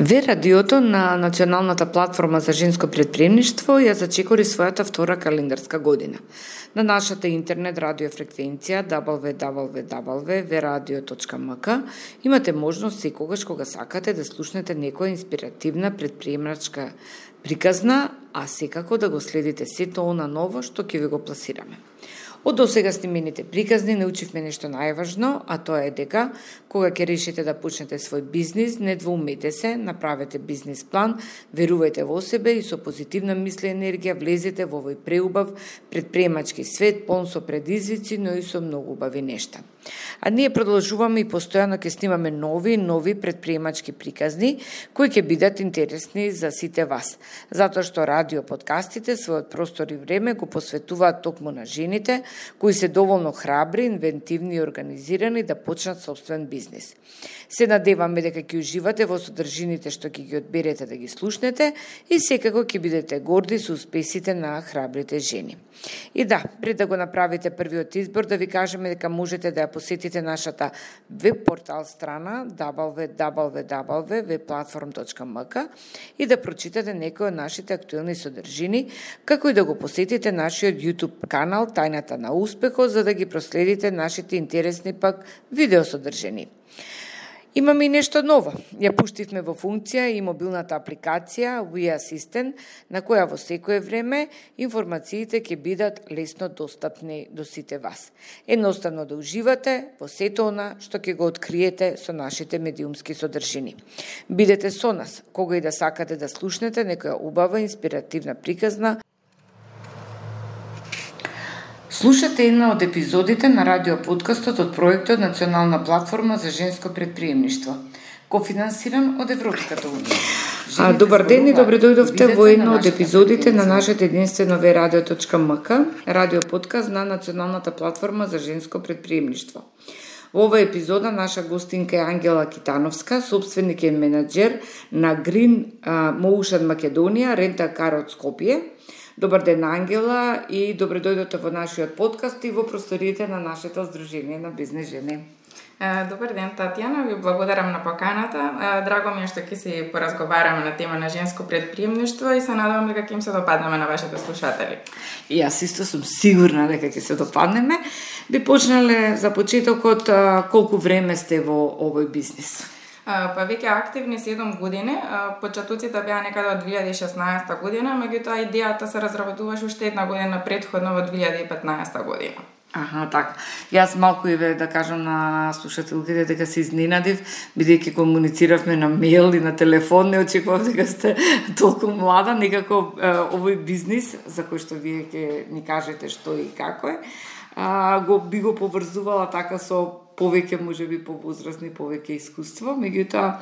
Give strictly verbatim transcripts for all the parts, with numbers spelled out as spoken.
Ве радиото на Националната платформа за женско претприемништво ја зачекори својата втора календарска година. На нашата интернет радио фреквенција дабл ю дабл ю дабл ю точка ве радио точка ем ка имате можност секогаш кога сакате да слушнете некоја инспиративна претприемачка приказна, а секако да го следите сето она ново што ќе ви го пласираме. Од досега снимените приказни научивме нешто најважно, а тоа е дека кога ќе решите да почнете свој бизнис, не двоумете се, направете бизнис план, верувајте во себе и со позитивна мисла и енергија влезете во овој преубав претприемачки свет, полн со предизвици, но и со многу убави нешта. А ние продолжуваме и постојано ќе снимаме нови нови претприемачки приказни кои ќе бидат интересни за сите вас, затоа што радио подкастите својот простор и време го посветуваат токму на жените кои се доволно храбри, инвентивни и организирани да почнат собствен бизнис. Се надеваме дека ќе уживате во содржините што ќе ги одберете да ги слушнете и секако ќе бидете горди со успесите на храбрите жени. И да, пред да го направите првиот избор, да ви кажеме дека можете да ја посетите нашата веб портал страна дабл ю дабл ю дабл ю точка ве платформ точка ем ка и да прочитате некои од нашите актуелни содржини, како и да го посетите нашиот YouTube канал Тајната на успехот, за да ги проследите нашите интересни пак видеосодржини. Имаме и нешто ново. Ја пуштивме во функција и мобилната апликација We Assistant, на која во секое време информациите ќе бидат лесно достапни до сите вас. Едноставно да уживате во сето она што ќе го откриете со нашите медиумски содржини. Бидете со нас, кога и да сакате да слушнете некоја убава инспиративна приказна. Слушате една од епизодите на радиоподкастот од проектот Национална платформа за женско претприемништво, кофинансиран од Европската унија. А, добар ден и добре дојдовте во една од епизодите на нашето единствено ве радио точка ем ка, радиоподкаст на Националната платформа за женско претприемништво. Во оваа епизода наша гостинка е Ангела Китановска, собственик и менаџер на Green Motion Македонија, рента-кар од Скопје. Добар ден, Ангела, и добре дојдете во нашиот подкаст и во просториите на нашето Сдружение на бизнес жени. Добар ден, Татјана, ви благодарам на поканата. Драго ми е што ќе се поразговараме на тема на женско претприемништво и се надевам дека ќе им се допаднеме на вашите слушатели. И јас исто сум сигурна дека ќе се допаднеме. Би почнале за почетокот колку време сте во овој бизнис? Па веќе активни седум години, почетоците беа некаде од две илјади и шеснаесета година, меѓутоа идејата се разработуваше уште една година претходно во две илјади и петнаесета година. Аха, така. Јас малку и ве да кажам на слушателките дека се изненадив, бидејќи комунициравме на мејл и на телефон, не очекував дека сте толку млада, некако овој бизнис за кој што вие ќе ни кажете што и како е, а, го би го поврзувала така со повеќе можеби повозрастни, повеќе искуство, меѓутоа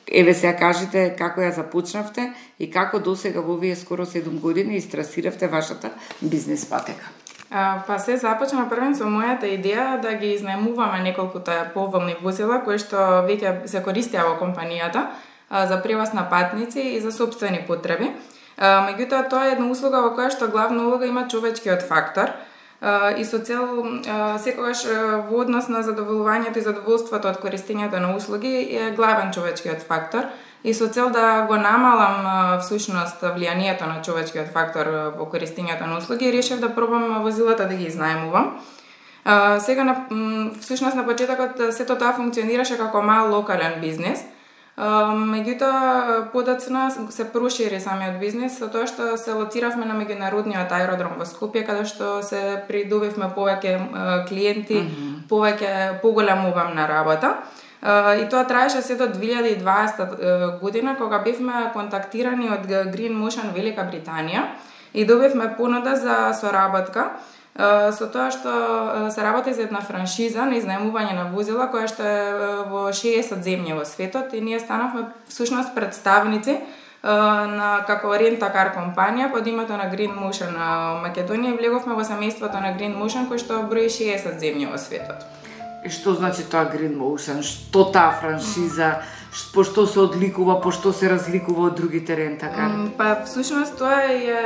еве сега кажете како ја започнавте и како досега во овие скоро седум години истрасиравте вашата бизнес патека. А, па се започна првен со мојата идеја да ги изнајмуваме неколкуте поволни возила кои што веќе се користеа во компанијата а, за превоз на патници и за сопствени потреби. А, меѓутоа тоа е една услуга во која што главна улога има човечкиот фактор. Uh, и со цел uh, секогаш uh, во однос на задоволувањето и задоволството од користењето на услуги е главен човечкиот фактор и со цел да го намалам uh, всушност влијанието на човечкиот фактор uh, во користењето на услуги, решив да пробам возилата да ги изнајмувам. Uh, сега на всушност на почетокот сето тоа функционираше како мал локален бизнес. Uh, меѓутоа, подоцна се прошири самиот бизнес со тоа што се лоциравме на меѓународниот аеродром во Скопје, каде што се придобивме повеќе uh, клиенти, mm-hmm. повеќе поголем обем на работа. Uh, и тоа траеше се до две илјади и дваесета година, кога бевме контактирани од Green Motion Велика Британија и добивме понуда за соработка. Uh, со тоа што uh, се работи за една франшиза на изнајмување на возила која што е uh, во шеесет земји во светот и ние станавме всушност представници uh, на како рента-кар компанија под името на Green Motion Македонија и влеговме во семејството на Green Motion кој што брои шеесет земји во светот. И што значи тоа Green Motion? Што таа франшиза? По што се одликува, по што се разликува од другите рента-кари? Па всушност тоа е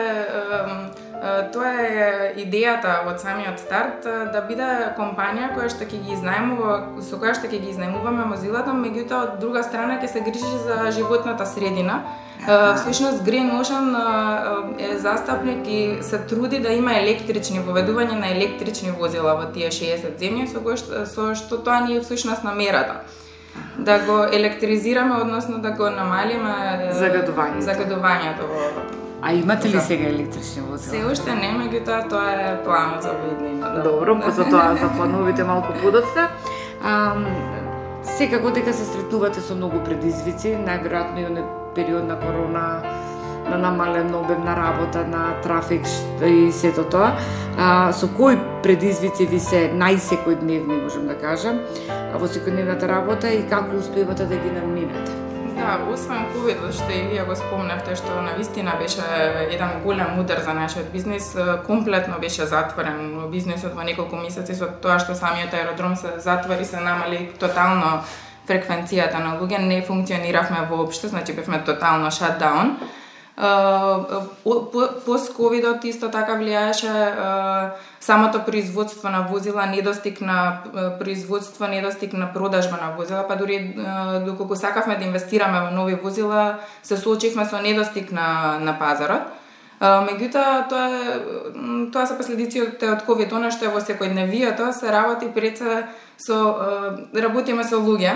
Тоа е идејата од самиот старт, да биде компанија која што ќе ги изнајмува, со која што ќе ги изнајмуваме возилата, меѓутоа од друга страна ќе се грижи за животната средина. Всушност Green Motion е застапник и се труди да има електрични поведување на електрични возила во тие шеесет земји, со кој што, со што тоа ни е всушност намерата. Да го електризираме, односно да го намалиме загадувањето. загадувањето во. А имате ли сега електрични возила? Се уште не, меѓутоа тоа е планот за иднина. Да. Добро, за тоа за плановите малку подоцна. А, секако дека се сретнувате со многу предизвици, најверојатно и оној период на корона, на намален обем на работа, на трафик и сето тоа. А, со кои предизвици ви се најсекојдневни, можам да кажам, во секојдневната работа и како успевате да ги надминете? Да, освен ковидот, што и вие го спомнавте, што навистина беше еден голем удар за нашиот бизнис, комплетно беше затворен бизнисот во неколку месеци, со тоа што самиот аеродром се затвори, се намали тотално фреквенцијата на луѓе, не функциониравме воопшто, значи бевме тотално шатдаун. Пост-ковидот исто така влијаеше самото производство на возила, недостиг на производство, недостиг на продажба на возила, па дури доколку сакавме да инвестираме во нови возила, се соочивме со недостиг на на пазарот. Меѓутоа тоа тоа се последиците од ковид, она што е во секојдневието, се работи пред се со работиме со луѓе.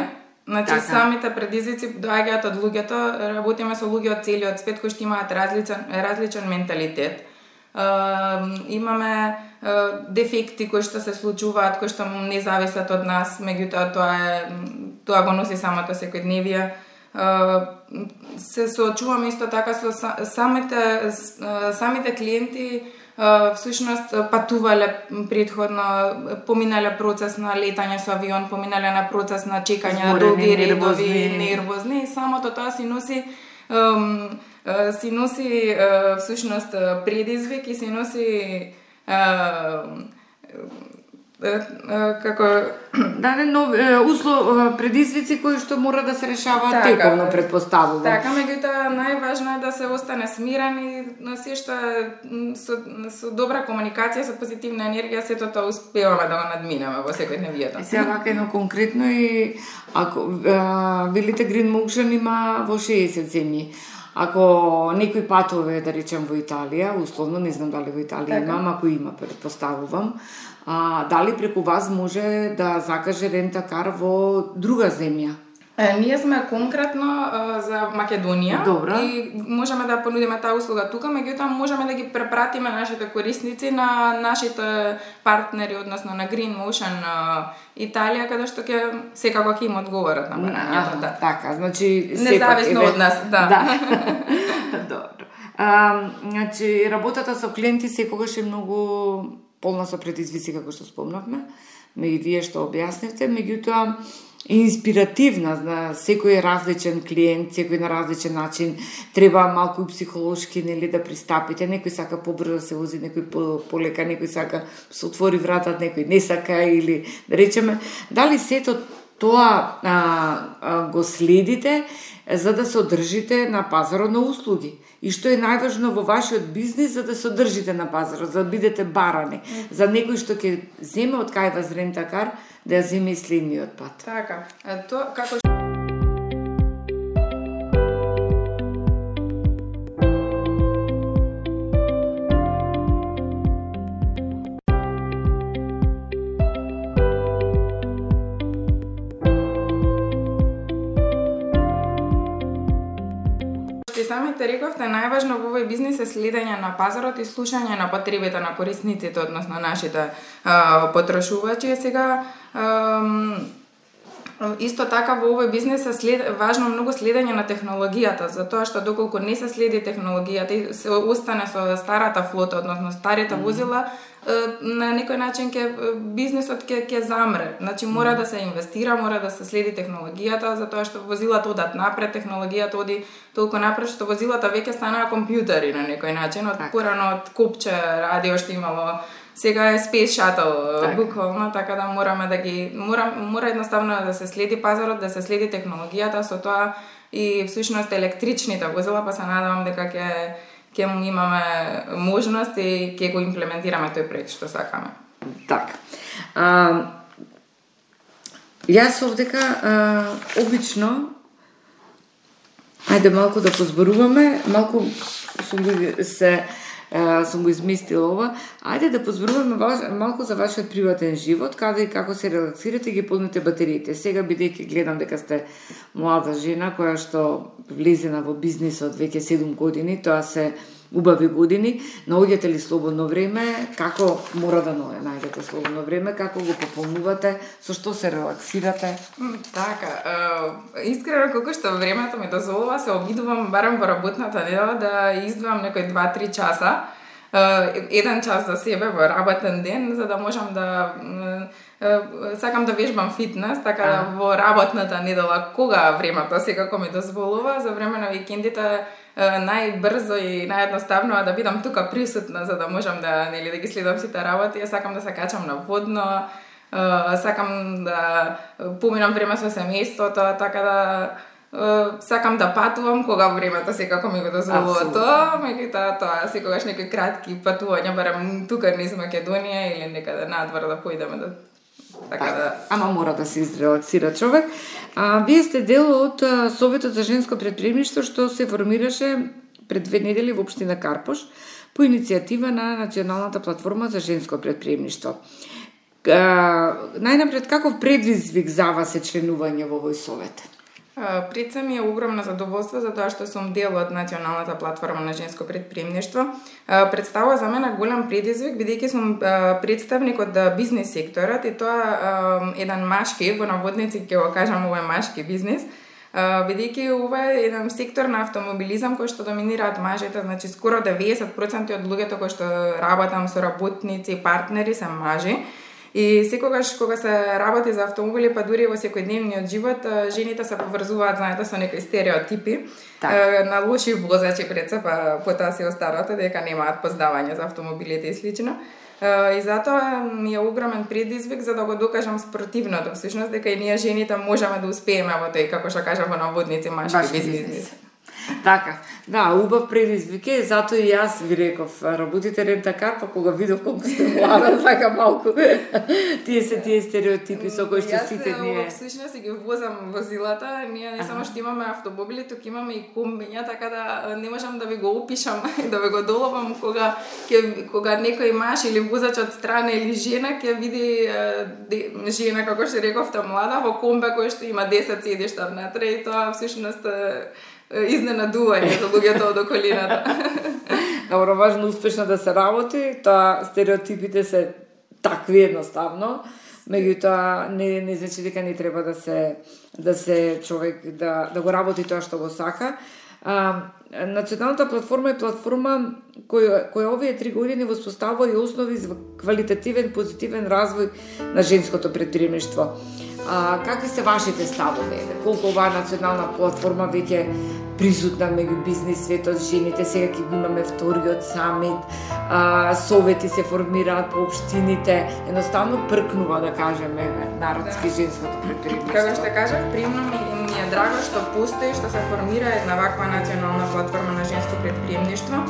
Значи, така. Самите предизвици доаѓаат од луѓето, работиме со луѓе од целиот свет кои што имаат различен, различен менталитет. Uh, имаме uh, дефекти кои што се случуваат, кои што не зависат од нас, меѓутоа тоа е тоа го носи самото секојдневие. Uh, се соочуваме исто така со самите самите клиенти. Uh, всушност патувале предходно, поминале процес на летање со авион, поминале на процес на чекање на долги редови, нервозни, и самото тоа си носи um, uh, си носи uh, всушност предизвик и си носи uh, како да не нови услов предизвици кои што мора да се решаваат така, тековно, предпоставувам. Така, меѓутоа најважно е да се остане смирен и на се што со, со добра комуникација, со позитивна енергија, сето тоа успеваме да го надминеме во секојдневието. И сега вака едно конкретно и ако велите Green Motion има во шеесет земји. Ако некој патове, да речем, во Италија, условно, не знам дали во Италија така. Имам, ако има, предпоставувам, а, дали преку вас може да закаже рентакар во друга земја? Е, ние сме конкретно е, за Македонија. Добра. И можеме да понудиме таа услуга тука, меѓутоа можеме да ги препратиме нашите корисници на нашите партнери, односно на Green Motion Италија, каде што ќе секако ќе им одговорат на барањето. Да. Така, значи независно од нас, да. да. Добро. А, значи работата со клиенти секогаш е многу полна со предизвици, како што спомнавме, но и вие што објаснивте, меѓутоа инспиративна, на секој различен клиент, секој на различен начин, треба малку и психолошки, нели, да пристапите, некој сака побрзо да се вози, некој полека, некој сака се отвори вратата, некој не сака, или да речеме, дали сето тоа а, а, го следите за да се одржите на пазарот на услуги? И што е најважно во вашиот бизнис за да се одржите на пазарот, за да бидете барани, за некој што ќе земе од кај вас рентакар, да ја земе и следниот пат. Така, тоа како самите рековте, најважно во овој бизнис е следење на пазарот и слушање на потребите на корисниците, односно нашите а, потрошувачи. Сега а, исто така во овој бизнис е след, важно многу следење на технологијата, затоа што доколку не се следи технологијата и се остане со старата флота, односно старите возила, на некој начин ќе бизнисот ќе ќе замре. Значи мора да се инвестира, мора да се следи технологијата, затоа што возилата одат напред, технологијата оди толку напред што возилата веќе станаа компјутери на некој начин, од порано од копче радио што имало, сега е Space Shuttle буквално, така да мораме да ги мора мора едноставно да се следи пазарот, да се следи технологијата, со тоа и всушност електричните возила, па се надевам дека ќе ќе му имаме можност и ќе го имплементираме тој проект што сакаме. Така. А, јас овдека а, обично ајде малку да позборуваме, малку сум го се а, сум го измислила ова. Ајде да позборуваме малку за вашиот приватен живот, каде и како се релаксирате и ги полните батериите. Сега бидејќи гледам дека сте млада жена која што влезена во бизнисот веќе седум години, тоа се убави години, наоѓате ли слободно време, како мора да наоѓате слободно време, како го пополнувате, со што се релаксирате? Така, е, искрено колку што времето ми дозволува, се обидувам барем во работната недела да издвоам некои два-три часа, е, еден час за себе во работен ден, за да можам да е, сакам да вежбам фитнес, така да во работната недела кога времето секако ми дозволува, за време на викендите најбрзо и наједноставно да бидам тука присутна за да можам да нели да ги следам сите работи. Ја сакам да се качам на водно, сакам да поминам време со семејството, така да сакам да патувам кога времето секако ми го дозволува тоа, меѓутоа тоа секогаш некои кратки патувања барем тука низ Македонија или некаде надвор да поидеме да така да... Ама мора да се изрелаксира човек. А, вие сте дел од а, Советот за женско предприемништво што се формираше пред две недели во општина Карпош по иницијатива на Националната платформа за женско предприемништво. Најнапред, каков предизвик за вас е членување во овој совет? Пред се ми е огромно задоволство за тоа што сум дел од Националната платформа на женско предприемништво. Представува за мене голем предизвик, бидејќи сум представник од бизнис секторот и тоа еден машки, во наводници ќе го кажам ова е машки бизнис, бидејќи ова е еден сектор на автомобилизам кој што доминираат мажите, значи скоро деветдесет проценти од луѓето кои што работам со работници и партнери се мажи. И секогаш кога се работи за автомобили, па дури во секојдневниот живот, жените се поврзуваат, знаете, со некои стереотипи так. На лоши возачи пред се, па потоа се останато дека немаат познавање за автомобилите и слично. И затоа ми е огромен предизвик за да го докажам спротивното, всушност дека и ние жените можеме да успееме во тој, како што кажа во наводници, машки бизнис. Така, да, убав предизвик е, затоа и јас ви реков, работите рентакар, па кога видов колку сте млада, така малку, тие се тие стереотипи со кои што сите ние... Јас всушност ги возам возилата, ние не само што имаме автомобили, тук имаме и комбиња, така да не можам да ви го опишам, да ви го доловам кога, ке, кога некој маш или возач од страна или жена ќе види де, жена, како што рековте, млада, во комбе кој што има десет седишта внатре и тоа всушност изненадување за луѓето од околината. Добро, важно успешно да се работи, тоа стереотипите се такви едноставно, меѓутоа не не значи дека не треба да се да се човек да да го работи тоа што го сака. А, Националната платформа е платформа која која овие три години воспоставува и основи за квалитативен позитивен развој на женското предприемништво. А, какви се вашите ставови? Колку оваа национална платформа веќе присутна меѓу бизнис светот, жените, сега ќе имаме вториот самит, а, совети се формираат по општините, едноставно пркнува, да кажеме, народски да. Женското предприемништво. Како што кажав, приемно ми, ми е драго што постои, што се формира една ваква национална платформа на женско предприемништво.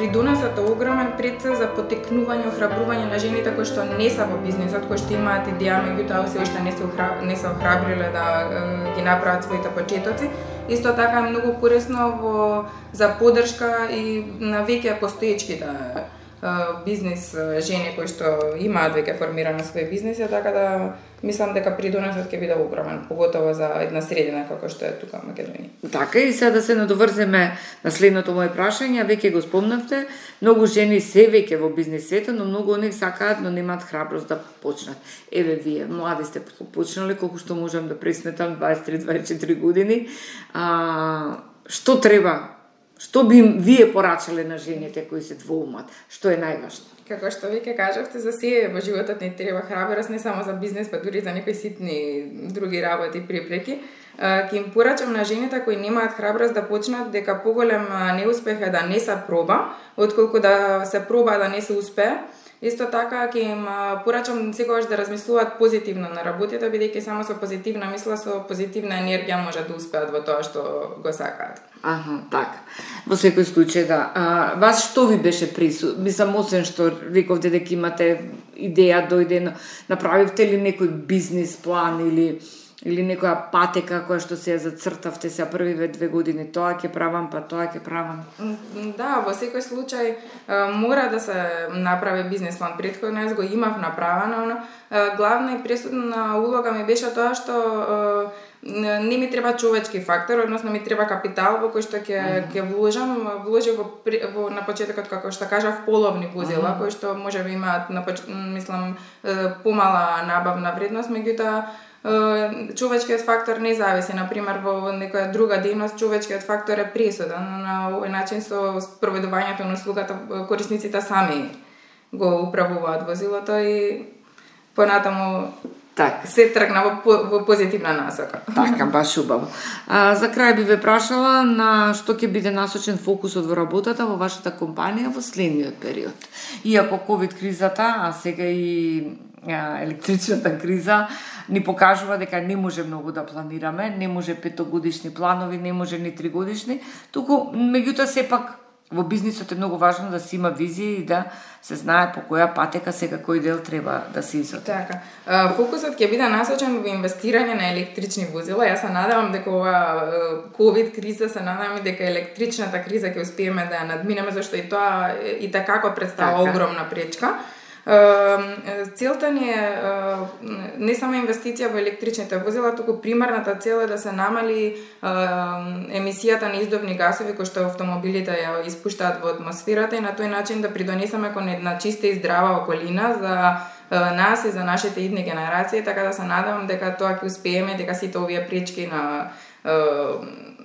Придонесот е огромен пред се за потекнување, охрабрување на жените кои што не се во бизнисот, кои што имаат идеја, меѓутоа се уште не се не се охрабриле да ги направат своите почетоци. Исто така е многу корисно во за поддршка и на веќе постоечките бизнис жени кои што имаат веќе формирано свој бизнис, така да мислам дека придонесот ќе биде огромен, поготово за една средина како што е тука Македонија. Така и сега да се надоврземе на следното моје прашање, веќе го спомнавте, многу жени се веќе во бизнис светот, но многу од нив сакаат, но немаат храброст да почнат. Еве вие, млади сте почнале, колку што можам да пресметам, дваесет и три дваесет и четири години. А, што треба? Што би вие порачале на жените кои се двоумат? Што е најважно? Како што веќе кажавте, за се во животот не треба храброст, не само за бизнес, па дури за некои ситни други работи, препреки. Ќе им порачам на жените кои немаат храброст да почнат дека поголем неуспех е да не се проба, отколку да се проба да не се успее. Исто така ќе им порачам секогаш да размислуваат позитивно на работата, бидејќи само со позитивна мисла, со позитивна енергија може да успеат во тоа што го сакаат. Аха, така. Во секој случај, да. А, вас што ви беше прису? Мислам, освен што рековте дека имате идеја, дојде, направивте ли некој бизнис план или или некоја патека која што се ја зацртавте се првиве две години, тоа ќе правам, па тоа ќе правам? Да, во секој случај мора да се направи бизнес план. Претходно јас го имав направено, но главна и пресудна улога ми беше тоа што не ми треба човечки фактор, односно ми треба капитал во кој што ќе ќе вложам, вложив во, во на почетокот како што кажав половни возила, кои што можеби имаат на мислам помала набавна вредност, меѓутоа човечкиот фактор не зависи. Например, во некоја друга дејност човечкиот фактор е пресуден. На овој начин со спроведувањето на услугата корисниците сами го управуваат возилото и понатаму так се тргна во, во позитивна насока. Така, баш убаво. А, за крај би ве прашала на што ќе биде насочен фокусот во работата во вашата компанија во следниот период. Иако ковид кризата, а сега и а, електричната криза ни покажува дека не може многу да планираме, не може петогодишни планови, не може ни тригодишни, туку меѓутоа сепак во бизнисот е многу важно да се има визија и да се знае по која патека сега кој дел треба да се изоди. Така. Фокусот ќе биде насочен во инвестирање на електрични возила. Јас се надевам дека ова ковид криза, се надевам дека електричната криза ќе успееме да ја надминеме, зашто и тоа и така представува така огромна пречка. Целта ни е не само инвестиција во електричните возила, туку примарната цел е да се намали емисијата на издувни гасови кои што автомобилите ја испуштаат во атмосферата и на тој начин да придонесеме кон една чиста и здрава околина за нас и за нашите идни генерации, така да се надевам дека тоа ќе успееме, дека сите овие пречки на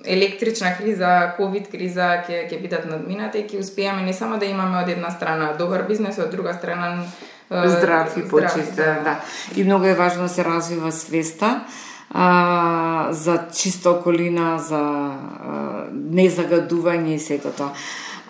електрична криза, ковид криза ќе ќе бидат надминати и ќе успееме не само да имаме од една страна добар бизнес, од друга страна здрав и почист, да. да. И многу е важно да се развива свеста а, за чиста околина, за а, незагадување и сето тоа.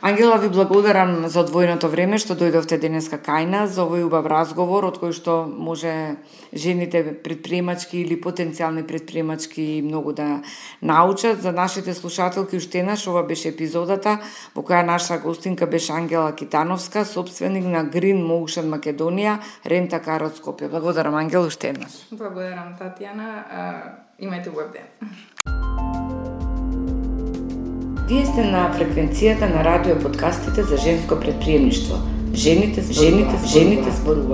Ангела, ви благодарам за одвоеното време што дојдовте денеска кај нас за овој убав разговор од кој што може жените предприемачки или потенцијални предприемачки многу да научат. За нашите слушателки уште еднаш ова беше епизодата во која наша гостинка беше Ангела Китановска, собственик на Green Motion Македонија, Рента Кар од Скопје. Благодарам, Ангела, уште еднаш. Благодарам, Татјана. Имајте убав ден. Вие сте на фреквенцијата на радио подкастите за женско предприемништво. Жените, жените, жените зборуваат.